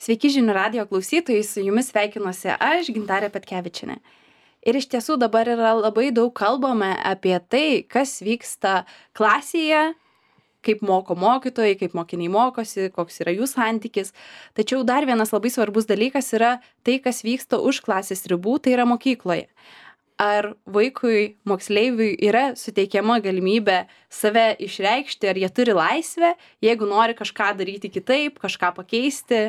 Sveiki žinių radijo klausytojai, su jumis sveikinuosi aš, Gintarė Petkevičienė. Ir iš tiesų dabar yra labai daug kalbama apie tai, kas vyksta klasėje, kaip moko mokytojai, kaip mokiniai mokosi, koks yra jų santykis. Tačiau dar vienas labai svarbus dalykas yra tai, kas vyksta už klasės ribų, tai yra mokykloje. Ar vaikui, moksleiviui yra suteikiama galimybė save išreikšti, ar jie turi laisvę, jeigu nori kažką daryti kitaip, kažką pakeisti.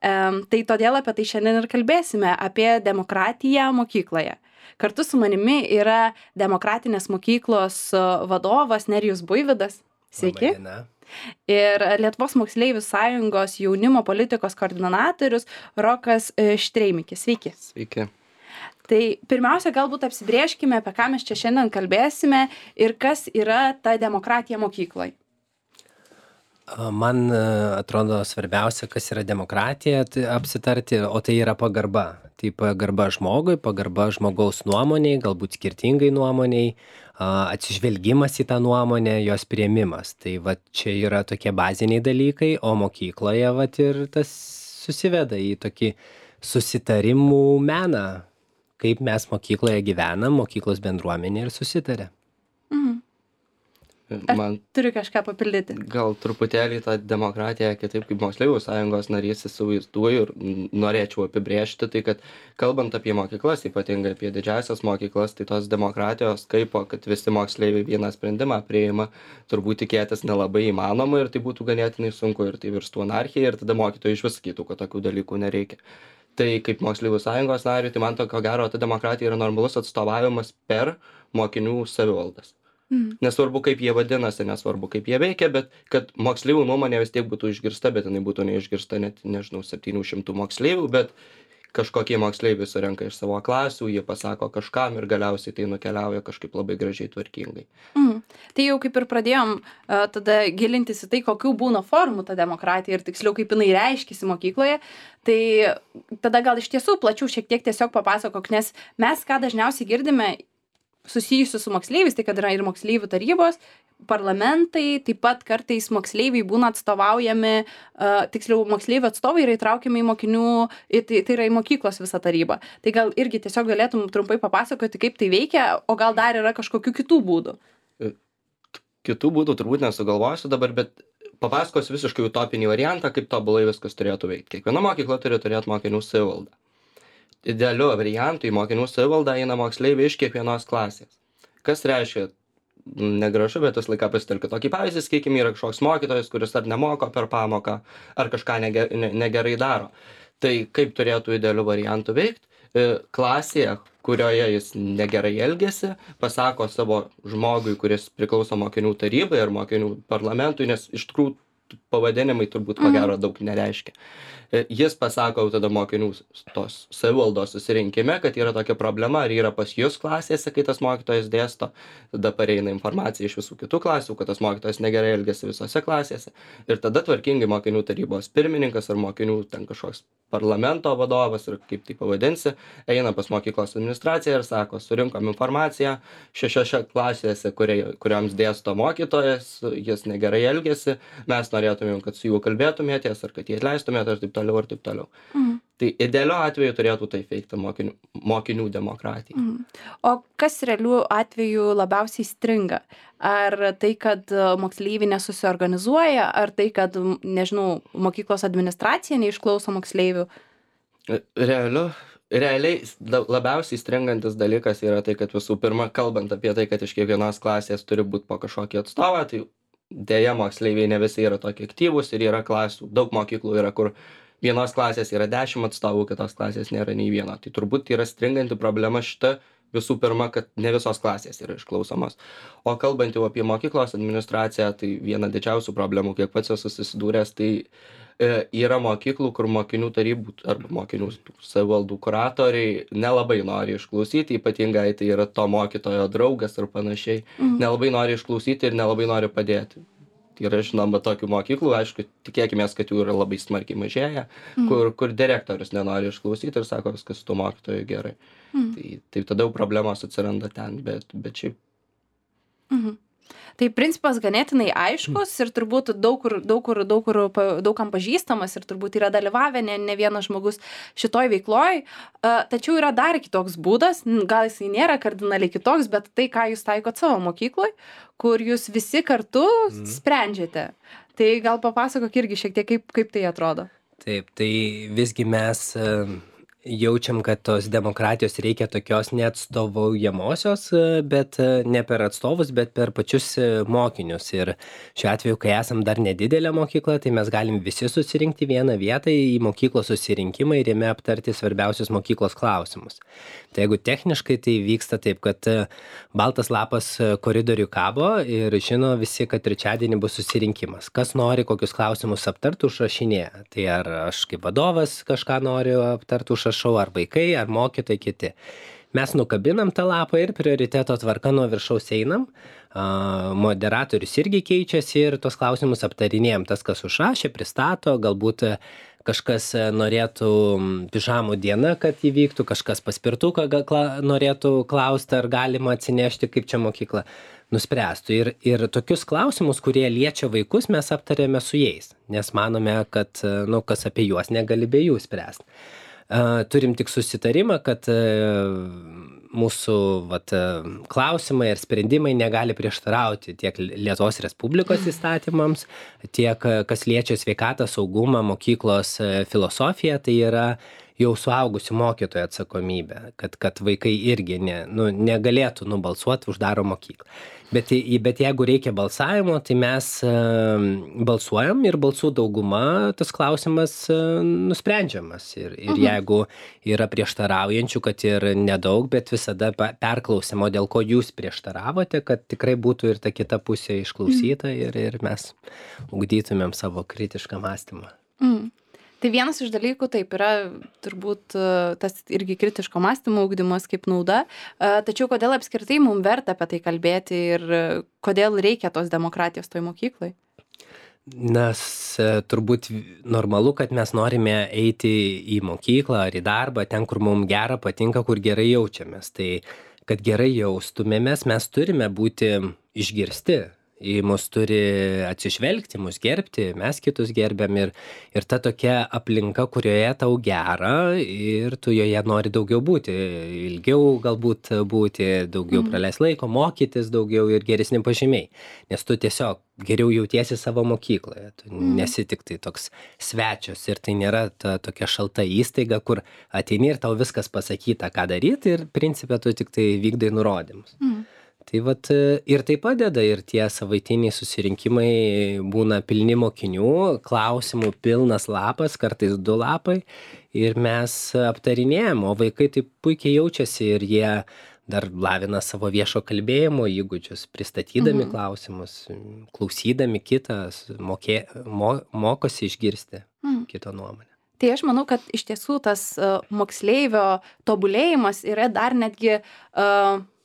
Tai todėl apie tai šiandien ir kalbėsime, apie demokratiją mokykloje. Kartu su manimi yra Demokratinės mokyklos vadovas Nerijus Buivydas. Sveiki. Ir Lietuvos moksleivių sąjungos jaunimo politikos koordinatorius Rokas Štreimikis. Sveiki. Sveiki. Tai pirmiausia, galbūt apsibrėžkime, apie ką mes čia šiandien kalbėsime ir kas yra ta demokratija mokykloje. Man atrodo svarbiausia, kas yra demokratija, tai apsitarti, o tai yra pagarba. Tai pagarba žmogui, pagarba žmogaus nuomoniai, galbūt skirtingai nuomoniai, atsižvelgimas į tą nuomonę, jos priėmimas. Tai va čia yra tokie baziniai dalykai, o mokykloje va ir tas susiveda į tokį susitarimų meną, kaip mes mokykloje gyvenam, mokyklos bendruomenė ir susitarė. Turiu kažką papildyti. Gal truputėlį tą demokratiją kitaip kaip moksleivių sąjungos narys įsivaizduoju ir norėčiau apibrėžti, tai kad kalbant apie mokyklas, ypatingai apie didžiąsias mokyklas, tai tos demokratijos kaipo, kad visi moksleiviai vieną sprendimą priima, turbūt tikėtis nelabai įmanoma ir tai būtų ganėtinai sunku ir tai virstų anarchija ir tada mokytojai iš vis sakytų, kad tokių dalykų nereikia. Tai kaip moksleivių sąjungos nariui, tai man to ko gero ta demokratija yra normalus atstovavimas per mokinių savivaldas. Nesvarbu, kaip jie vadinasi, nesvarbu, kaip jie veikia, bet kad moksleivių nuomonė vis tiek būtų išgirsta, bet jinai būtų neišgirsta net, 700 moksleivių, bet kažkokie moksleiviai surenka iš savo klasių, jie pasako kažkam ir galiausiai tai nukeliauja kažkaip labai gražiai tvarkingai. Tai jau kaip ir pradėjom tada gilintis į tai, kokių būna formų ta demokratija ir tiksliau kaip jinai reiškiasi mokykloje, tai tada gal iš tiesų plačiau šiek tiek tiesiog papasakok, nes mes ką dažniausiai girdime susijusių su moksleiviais, tai kad yra ir moksleivių tarybos, parlamentai, taip pat kartais moksleiviai būna atstovaujami, tiksliau moksleivių atstovai yra įtraukiami į mokinių, tai yra į mokyklos visą tarybą. Tai gal irgi tiesiog galėtum trumpai papasakoti, kaip tai veikia, o gal dar yra kažkokių kitų būdų? Kitų būdų turbūt nesugalvosiu dabar, bet papasakosiu visiškai utopinį variantą, kaip tobulai viskas turėtų veikti. Kiekviena mokykla turi turėti mokinių savivaldą. Idealiu variantu į mokinių savivaldą eina moksleiviai iš kiekvienos klasės. Kas reiškia, negražu, bet tas laiką pasitelkiu tokį pavyzdį, sakykime, yra kažkoks mokytojas, kuris ar nemoko per pamoką, ar kažką negerai daro. Tai kaip turėtų idealiu variantu veikti? Klasėje, kurioje jis negerai elgiasi, pasako savo žmogui, kuris priklauso mokinių tarybai ar mokinių parlamentui, nes iš tikrųjų pavadinimai turbūt ko gero daug nereiškia. Jis pasako tada mokinių tos savivaldos susirinkime, kad yra tokia problema, ar yra pas jūs klasėse, kai tas mokytojas dėsto, tada pareina informacija iš visų kitų klasių, kad tas mokytojas negerai elgiasi visose klasėse. Ir tada tvarkingai mokinių tarybos pirmininkas ar mokinių ten kažkoks parlamento vadovas, ir kaip tai pavadinsi, eina pas mokyklos administraciją ir sako, surinkom informaciją, 6 klasėse, kurioms dėsto mokytojas, jis negerai elgiasi, mes norėtumėm, kad su juo kalbėtumėtės, ar kad jį atleistumėte, ir taip toliau, ir taip toliau. Tai idealiu atveju turėtų taip veikti mokinių demokratija. O kas realių atveju labiausiai stringa? Ar tai, kad moksleiviai nesusiorganizuoja, ar tai, kad, nežinau, mokyklos administracija neišklauso moksleivių? Realiai labiausiai stringantis dalykas yra tai, kad visų pirma, kalbant apie tai, kad iš kiekvienos klasės turi būti po kažkokį atstovą, tai dėja moksleiviai ne visi yra tokie aktyvūs ir yra klasių. Daug mokyklų yra, kur vienos klasės yra 10 atstovų, kitos klasės nėra nei vieno. Tai turbūt yra stringanti problema šita visų pirma, kad ne visos klasės yra išklausomos. O kalbant jau apie mokyklos administraciją, tai viena didžiausių problemų, kiek pats esu susidūręs, tai yra mokyklų, kur mokinių tarybų arba mokinių savivaldų kuratoriai nelabai nori išklausyti, ypatingai tai yra to mokytojo draugas ar panašiai, nelabai nori išklausyti ir nelabai nori padėti. Tai yra, žinoma, tokių mokyklų, aišku, tikėkimės, kad jų yra labai smarkiai mažėja, kur direktorius nenori išklausyti ir sako, viskas su tuo mokytoju gerai. Tai tada jau problemos atsiranda ten, bet šiaip. Tai principas ganėtinai aiškus ir turbūt daugam pažįstamas ir turbūt yra dalyvavę ne vienas žmogus šitoj veikloj. Tačiau yra dar kitoks būdas, gal jisai nėra kardinaliai kitoks, bet tai, ką jūs taikot savo mokykloj, kur jūs visi kartu sprendžiate. Tai gal papasakok irgi šiek tiek, kaip tai atrodo. Taip, tai visgi mes jaučiam, kad tos demokratijos reikia tokios neatstovaujamosios, bet ne per atstovus, bet per pačius mokinius. Ir šiuo atveju, kai esam dar nedidelė mokykla, tai mes galim visi susirinkti vieną vietą į mokyklos susirinkimą ir jame aptarti svarbiausius mokyklos klausimus. Tai jeigu techniškai tai vyksta taip, kad baltas lapas koridorių kabo ir žino visi, kad trečiadienį bus susirinkimas. Kas nori kokius klausimus aptarti, užrašinėja. Tai ar aš kaip vadovas kažką noriu aptarti, užrašau, ar vaikai, ar mokytojai kiti. Mes nukabinam tą lapą ir prioriteto tvarka nuo viršaus einam. Moderatorius irgi keičiasi ir tos klausimus aptarinėjom. Tas, kas užrašė, pristato, galbūt kažkas norėtų pižamų dieną, kad įvyktų, kažkas paspirtuką norėtų klausti, ar galima atsinešti, kaip čia mokykla nuspręstų. Ir tokius klausimus, kurie liečia vaikus, mes aptarėme su jais, nes manome, kad kas apie juos negali be jų spręsti. Turim tik susitarimą, kad mūsų klausimai ir sprendimai negali prieštarauti tiek Lietuvos Respublikos įstatymams, tiek kas liečia sveikatą, saugumą, mokyklos filosofiją, tai yra jau suaugusių mokytojų atsakomybė, kad vaikai irgi negalėtų nubalsuoti už daro mokyklą. Bet jeigu reikia balsavimo, tai mes balsuojam ir balsų dauguma tas klausimas nusprendžiamas. Ir jeigu yra prieštaraujančių, kad ir nedaug, bet visada perklausimo, dėl ko jūs prieštaravote, kad tikrai būtų ir ta kita pusė išklausyta ir mes ugdytumėm savo kritišką mąstymą. Tai vienas iš dalykų taip yra turbūt tas irgi kritiško mąstymo ugdymas kaip nauda, tačiau kodėl apskritai mums verta apie tai kalbėti ir kodėl reikia tos demokratijos toj mokyklai? Nes turbūt normalu, kad mes norime eiti į mokyklą ar į darbą, ten, kur mums gera, patinka, kur gerai jaučiamės. Tai kad gerai jaustumėmės, mes turime būti išgirsti. Į mus turi atsižvelgti, mus gerbti, mes kitus gerbiam ir ta tokia aplinka, kurioje tau gera ir tu joje nori daugiau būti, ilgiau galbūt būti, daugiau praleis laiko, mokytis daugiau ir geresni pažymiai, nes tu tiesiog geriau jautiesi savo mokykloje, tu nesi tik tai toks svečias ir tai nėra ta tokia šalta įstaiga, kur ateini ir tau viskas pasakyta, ką daryti ir principe tu tik tai vykdai nurodymus. Tai ir tai padeda ir tie savaitiniai susirinkimai būna pilni mokinių, klausimų pilnas lapas, kartais 2 lapai ir mes aptarinėjom, o vaikai taip puikiai jaučiasi ir jie dar lavina savo viešo kalbėjimo įgūdžius, pristatydami klausimus, klausydami kitą, mokosi išgirsti kito nuomonę. Tai aš manau, kad iš tiesų tas moksleivio tobulėjimas yra dar netgi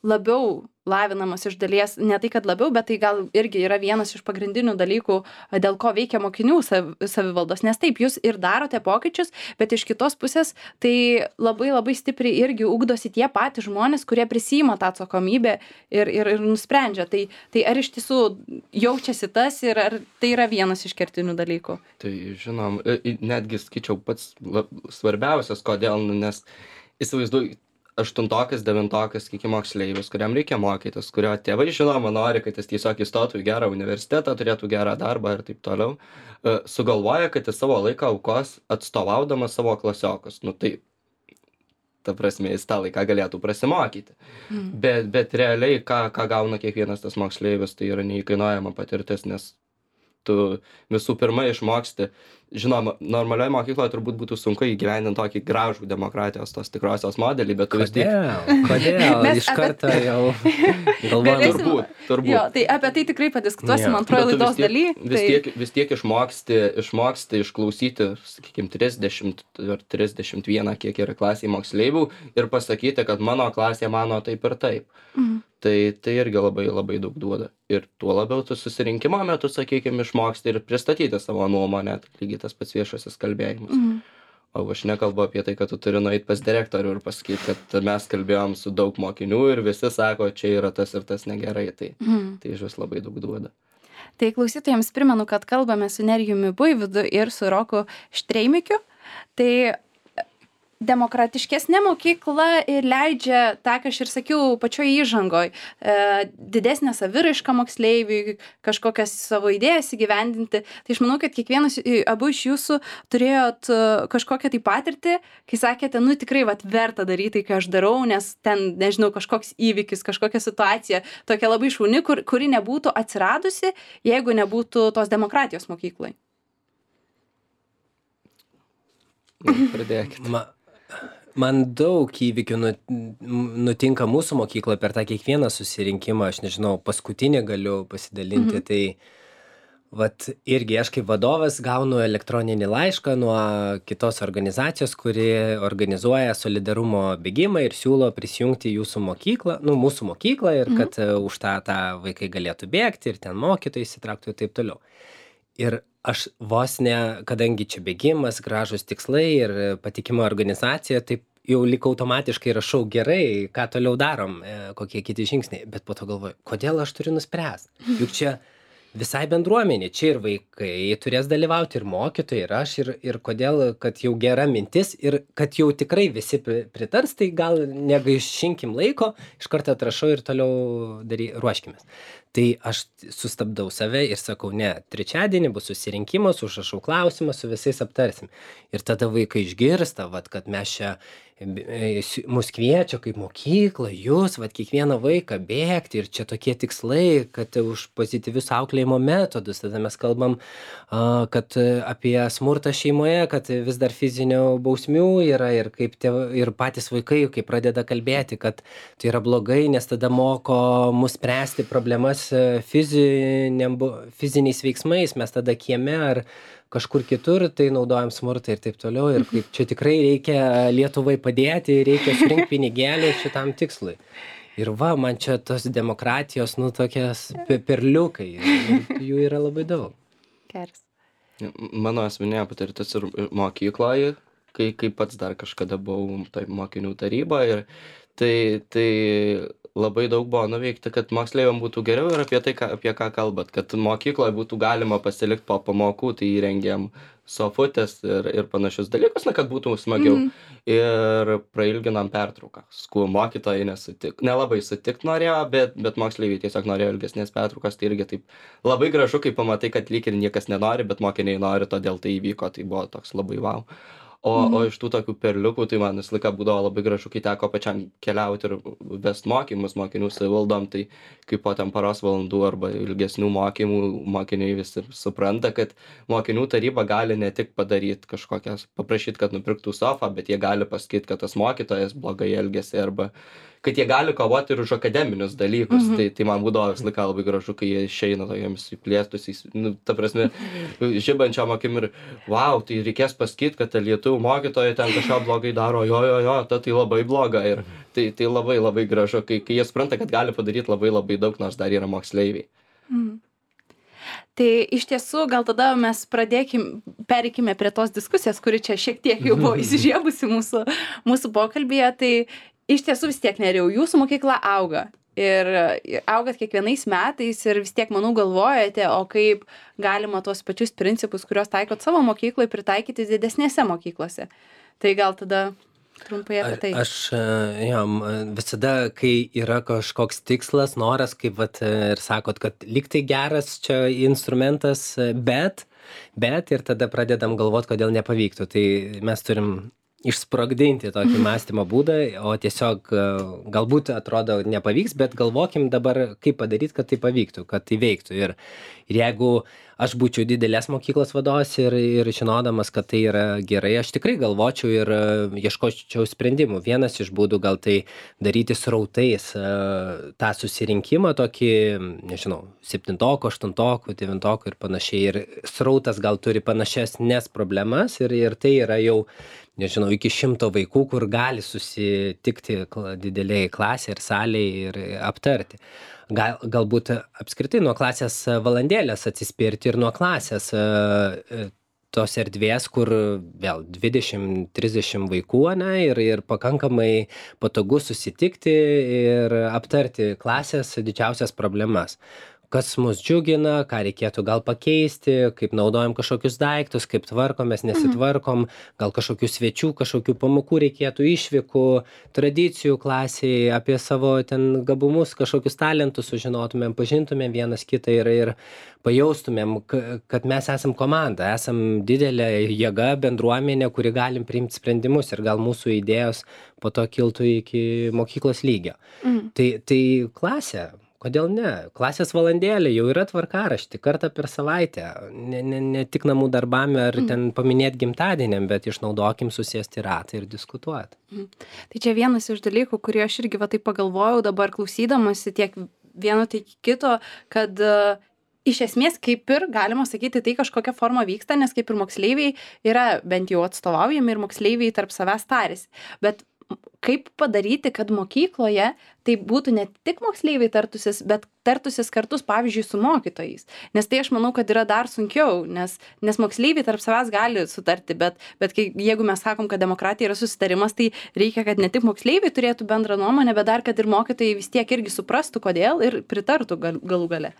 labiau lavinamas iš dalies, ne tai, kad labiau, bet tai gal irgi yra vienas iš pagrindinių dalykų, dėl ko veikia mokinių savivaldos. Nes taip, jūs ir darote pokyčius, bet iš kitos pusės tai labai labai stipriai irgi ugdosi tie patys žmonės, kurie prisiima tą atsakomybę ir nusprendžia. Tai ar iš tiesų jaučiasi tas ir ar tai yra vienas iš kertinių dalykų? Tai žinom, netgi skaičiau pats svarbiausias, kodėl, nes įsivaizduoju, 8-okas, 9-okas, kiek moksleivis, kuriam reikia mokytis, kurio tėvai žinoma nori, kad jis tiesiog įstotų į gerą universitetą, turėtų gerą darbą ir taip toliau, sugalvoja, kad jis savo laiką aukos atstovaudamas savo klasiokus. Tai, ta prasme, jis tą laiką galėtų prasimokyti. Bet realiai, ką gauna kiekvienas tas moksleivis, tai yra neįkainuojama patirtis, nes tu visų pirma išmoksti. Žinoma, normalioje mokykloje turbūt būtų sunku įgyvendinti tokį gražų demokratijos tos tikrosios modelį, bet tu vis tiek... Kodėl? Iš karto jau galvojam. Turbūt. Jo, tai apie tai tikrai padiskutuosim antroje laidos daly. Vis tiek išmoksti išklausyti, sakykime, 30 ar 31, kiek yra klasėje moksleivių ir pasakyti, kad mano klasė mano taip ir taip. Tai irgi labai labai daug duoda. Ir tuo labiau tu susirinkimo metu, sakykime, išmoksti ir pristatyti savo nuomonę, lygiai tas pats viešasis kalbėjimas. O aš nekalbu apie tai, kad tu turi nueiti pas direktorių ir pasakyti, kad mes kalbėjom su daug mokinių ir visi sako, čia yra tas ir tas negerai. Tai iš vis labai daug duoda. Tai klausytojams primenu, kad kalbame su Nerijumi Buivydu ir su Roku Štreimikiu. Tai demokratiškesnė mokykla ir leidžia, tą, ką aš ir sakiau pačioje įžangoj, didesnę saviraišką moksleiviui, kažkokias savo idėjas įgyvendinti. Tai aš manau, kad kiekvienas, abu iš jūsų turėjot kažkokią tai patirtį, kai sakėte, nu tikrai verta daryti tai, ką aš darau, nes ten, nežinau, kažkoks įvykis, kažkokia situacija, tokia labai šauni, kuri nebūtų atsiradusi, jeigu nebūtų tos demokratijos mokyklai. Pradėkit. Man daug įvykių nutinka mūsų mokykloje per tą kiekvieną susirinkimą, aš nežinau, paskutinį galiu pasidalinti, tai irgi aš kaip vadovas gaunu elektroninį laišką nuo kitos organizacijos, kuri organizuoja solidarumo bėgimą ir siūlo prisijungti jūsų mokyklą, mūsų mokyklą ir kad už tą vaikai galėtų bėgti ir ten mokytojai įsitrauktų ir taip toliau. Ir aš vos ne, kadangi čia bėgimas, gražus tikslai ir patikima organizacija, taip jau lik automatiškai rašau gerai, ką toliau darom, kokie kiti žingsniai, bet po to galvoju, kodėl aš turiu nuspręsti? Juk čia visai bendruomenė, čia ir vaikai turės dalyvauti, ir mokytojai, ir aš, ir kodėl, kad jau gera mintis ir kad jau tikrai visi pritars, tai gal negaišinkim laiko, iš karto atrašau ir toliau ruoškimės. Tai aš sustabdau save ir sakau, ne, trečiadienį bus susirinkimas, užrašau klausimą, su visais aptarsim. Ir tada vaikai išgirsta, kad mes čia, mus kviečia kaip mokykla, jūs, kiekvieną vaiką bėgti ir čia tokie tikslai, kad už pozityvius auklėjimo metodus. Tada mes kalbam, kad apie smurtą šeimoje, kad vis dar fizinių bausmių yra ir kaip ir patys vaikai, kai pradeda kalbėti, kad tai yra blogai, nes tada moko mus spręsti problemas fiziniais veiksmais, mes tada kieme ar kažkur kitur tai naudojam smurtą ir taip toliau ir kaip čia tikrai reikia Lietuvai padėti, reikia surinkti pinigėlį šitam tikslui. Ir man čia tos demokratijos, tokias perliukai, jų yra labai daug. Geras. Mano asmeninė patirtis ir mokykloje, kai pats dar kažkada buvau mokinių taryboje, tai labai daug buvo nuveikti, kad moksleiviam būtų geriau ir apie ką kalbat, kad mokykloje būtų galima pasilikti po pamokų, tai įrengėm sofutės ir panašius dalykus, kad būtų smagiau. Ir prailginam pertrauką. Mokytojai nelabai sutikt norėjo, bet moksleiviai tiesiog norėjo ilgesnės pertraukos, tai irgi taip labai gražu, kai pamatai, kad lyg ir niekas nenori, bet mokiniai nori, todėl tai įvyko, tai buvo toks labai wow. O iš tų tokių perliukų, tai man visą laiką būdavo labai gražu, kai teko pačiam keliauti ir vest mokymus mokinių savivaldom, tai kaip po ten paros valandų arba ilgesnių mokymų mokiniai visi supranta, kad mokinių taryba gali ne tik padaryti kažkokias, paprašyti, kad nupirktų sofą, bet jie gali pasakyti, kad tas mokytojas blogai elgėsi arba kad jie gali kovoti ir už akademinius dalykus. Tai man būdavo visą laiką labai gražu, kai jie išeina tokiams įplėstusiais, ta prasme, žibančiam akim ir wow, tai reikės pasakyti, kad lietuvių mokytojai ten kažką blogai daro, jo, tai labai bloga. Ir tai labai labai gražu, kai jie supranta, kad gali padaryti labai labai daug, nors dar yra moksleiviai. Tai iš tiesų, gal tada mes pereikime prie tos diskusijos, kuri čia šiek tiek jau buvo įsižiebusi mūsų pokalbėje. Tai iš tiesų vis tiek, Nerijau, jūsų mokykla auga. Ir augat kiekvienais metais ir vis tiek, manau, galvojate, o kaip galima tuos pačius principus, kuriuos taikot savo mokykloje, pritaikyti didesnėse mokyklose. Tai gal tada trumpai apie tai. Aš visada, kai yra kažkoks tikslas, noras, kaip ir sakot, kad lyg tai geras čia instrumentas, bet ir tada pradedam galvoti, kodėl nepavyktų. Tai mes turim išsprogdinti tokį mąstymo būdą, o tiesiog galbūt atrodo nepavyks, bet galvokim dabar, kaip padaryti, kad tai pavyktų, kad tai veiktų. Ir jeigu aš būčiau didelės mokyklos vadovas ir žinodamas, kad tai yra gerai, aš tikrai galvočiau ir ieškočiau sprendimų. Vienas iš būdų gal tai daryti srautais tą susirinkimą, tokį, nežinau, 7, 8, 9 ir panašiai. Ir srautas gal turi panašesnes problemas ir tai yra jau, nežinau, iki 100 vaikų, kur gali susitikti dideliai klasė ir salėje ir aptarti. Galbūt apskritai nuo klasės valandėlės atsispirti ir nuo klasės tos erdvės, kur vėl 20-30 vaikų, ane, ir pakankamai patogu susitikti ir aptarti klasės didžiausias problemas. Kas mus džiugina, ką reikėtų gal pakeisti, kaip naudojam kažkokius daiktus, kaip tvarkomės, nesitvarkom, gal kažkokių svečių, kažkokių pamokų reikėtų, išvykų, tradicijų klasėje, apie savo ten gabumus, kažkokius talentus sužinotumėm, pažintumėm vienas kitą ir pajaustumėm, kad mes esam komanda, esam didelė jėga, bendruomenė, kuri galim priimti sprendimus ir gal mūsų idėjos po to kiltų iki mokyklos lygio. Tai klasė. Kodėl ne? Klasės valandėlė jau yra tvarkarašti, kartą per savaitę. Ne tik namų darbam ar ten paminėti gimtadieniam, bet išnaudokim susėsti ratą ir diskutuoti. Tai čia vienas iš dalykų, kurį aš irgi va taip pagalvojau dabar klausydamasi tiek vieno, tiek kito, kad iš esmės kaip ir galima sakyti, tai kažkokia forma vyksta, nes kaip ir moksleiviai yra bent jau atstovaujami ir moksleiviai tarp savęs tarėsi. Bet kaip padaryti, kad mokykloje tai būtų ne tik moksleiviai tartusis, bet tartusis kartus, pavyzdžiui, su mokytojais. Nes tai aš manau, kad yra dar sunkiau, nes moksleiviai tarp savęs gali sutarti, bet jeigu mes sakom, kad demokratija yra susitarimas, tai reikia, kad ne tik moksleiviai turėtų bendrą nuomonę, bet dar, kad ir mokytojai vis tiek irgi suprastų, kodėl ir pritartų galų gale.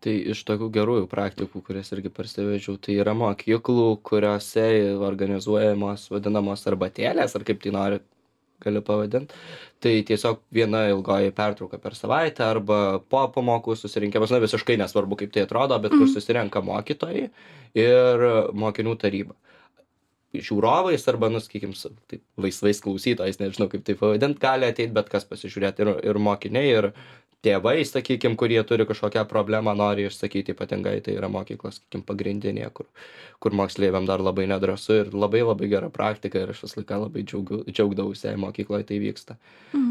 Tai iš tokių gerųjų praktikų, kurias irgi parsivežiau, tai yra mokyklų, kuriuose organizuojamos vadinamos arbatėlės, ar kaip tai nori, galiu pavadinti. Tai tiesiog viena ilgoji pertrauka per savaitę arba po pamokų susirinkimas, na visiškai nesvarbu, kaip tai atrodo, bet kur susirenka mokytojai ir mokinių taryba. Žiūrovais arba, sakykim, taip, laisvais klausytojais, nežinau kaip tai pavadinti, gali ateiti bet kas pasižiūrėti ir mokiniai, ir tėvai, sakykim, kurie turi kažkokią problemą, nori išsakyti, ypatingai tai yra mokyklos, sakykim, pagrindinė, kur moksleiviam dar labai nedrąsu ir labai gera praktika ir aš visą laiką labai džiaugdavausi, mokykloje tai vyksta.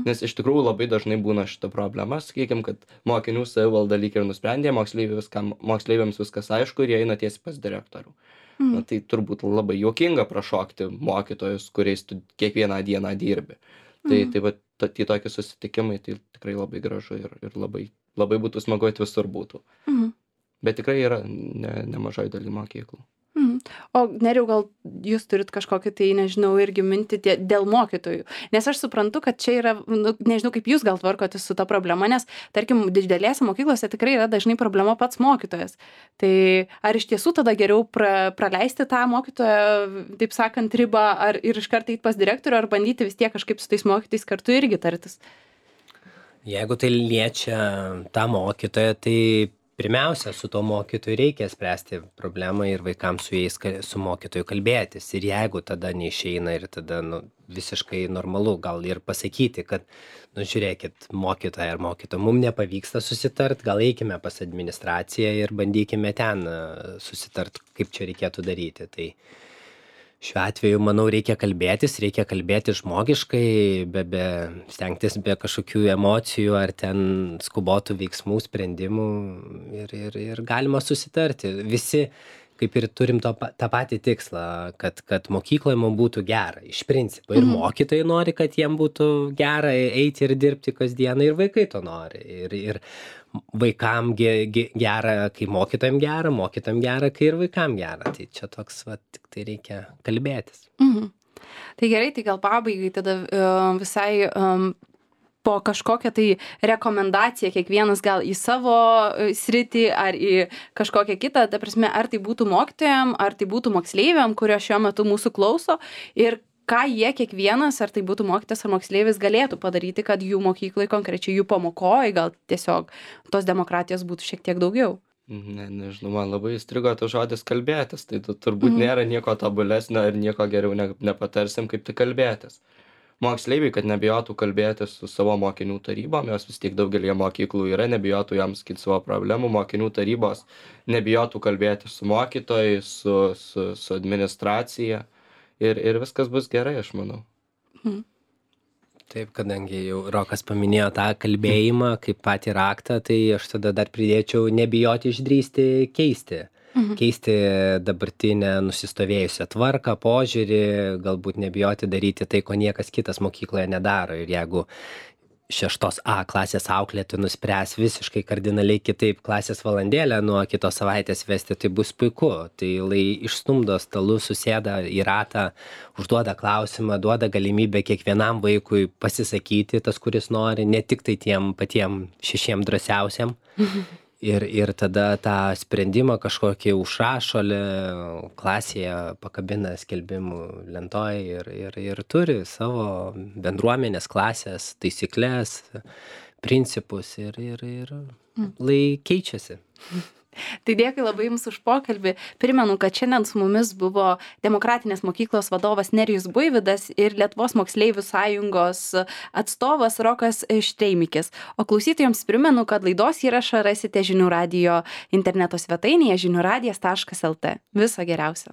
Nes iš tikrųjų labai dažnai būna šita problema, sakykim, kad mokinių savivalda lyg ir nusprendė, moksleiviams viskas aišku ir jie eina tiesiai pas direktorių. Na, tai turbūt labai juokinga prašokti mokytojus, kuriais tu kiekvieną dieną dirbi. Tai va, tie tokie susitikimai, tai tikrai labai gražu ir labai būtų smagu, kad visur būtų. Bet tikrai yra nemažai daly mokyklų. O Nerijau, gal jūs turit kažkokį tai, nežinau, irgi mintį dėl mokytojų. Nes aš suprantu, kad čia yra, nežinau, kaip jūs gal tvarkotės su ta problema, nes, tarkim, didelėse mokyklose tikrai yra dažnai problema pats mokytojas. Tai ar iš tiesų tada geriau praleisti tą mokytoją, taip sakant, ribą, ar ir iš karto eiti pas direktorių, ar bandyti vis tiek kažkaip su tais mokytojais kartu irgi tartis? Jeigu tai liečia tą mokytoją, tai pirmiausia, su to mokytoju reikia spręsti problemą ir vaikams su mokytoju kalbėtis. Ir jeigu tada neišeina ir tada visiškai normalu gal ir pasakyti, kad, žiūrėkit, mokytoja ar mokytoja, mums nepavyksta susitart, gal eikime pas administraciją ir bandykime ten susitart, kaip čia reikėtų daryti. Tai šiuo atveju, manau, reikia kalbėti žmogiškai, stengtis be kažkokių emocijų ar ten skubotų veiksmų, sprendimų ir galima susitarti. Visi kaip ir turim tą patį tikslą, kad mokykloje mums būtų gera, iš principo. Ir mokytojai nori, kad jiem būtų gera eiti ir dirbti kasdieną, ir vaikai to nori. Ir vaikam gera, kai mokytojam gera, kai ir vaikam gera. Tai čia toks, tik tai reikia kalbėtis. Tai gerai, tai gal pabaigai tada visai po kažkokią tai rekomendaciją kiekvienas gal į savo sritį ar į kažkokią kitą, ta prasme, ar tai būtų mokytojam, ar tai būtų moksleiviam, kurio šiuo metu mūsų klauso, ir ką jie kiekvienas, ar tai būtų mokytojas ar moksleivis, galėtų padaryti, kad jų mokyklai, konkrečiai jų pamokoje, gal tiesiog tos demokratijos būtų šiek tiek daugiau. Nežinau, man labai įstrigo tas žodis kalbėtis, tai turbūt nėra nieko tobulesnio ir nieko geriau nepatarsim, kaip tai kalbėtis. Moksleiviai, kad nebijotų kalbėtis su savo mokinių tarybom, jos vis tiek daugelį mokyklų yra, nebijotų jiems sakyti savo problemų, mokinių tarybos nebijotų kalbėtis su mokytojais, su administracija ir viskas bus gerai, aš manau. Taip, kadangi jau Rokas paminėjo tą kalbėjimą kaip patį raktą, tai aš tada dar pridėčiau nebijoti išdrįsti keisti dabartinę nusistovėjusią tvarką, požiūrį, galbūt nebijoti daryti tai, ko niekas kitas mokykloje nedaro. Ir jeigu 6A klasės auklėti nuspręs visiškai kardinaliai kitaip klasės valandėlę nuo kitos savaitės vesti, tai bus puiku. Tai išstumdo stalus, susėda į ratą, užduoda klausimą, duoda galimybę kiekvienam vaikui pasisakyti, tas, kuris nori, ne tik tai tiem patiem 6 drąsiausiam. Ir tada tą sprendimą kažkokį užrašo klasėje, pakabina skelbimų lentoj ir turi savo bendruomenės klasės taisyklės, principus ir keičiasi. Tai dėkui labai Jums už pokalbį. Primenu, kad šiandien su mumis buvo Demokratinės mokyklos vadovas Nerijus Buivydas ir Lietuvos moksleivių sąjungos atstovas Rokas Štreimikis. O klausytojams primenu, kad laidos įrašą rasite Žinių radijo interneto svetainėje žiniųradijas.lt. Viso geriausio.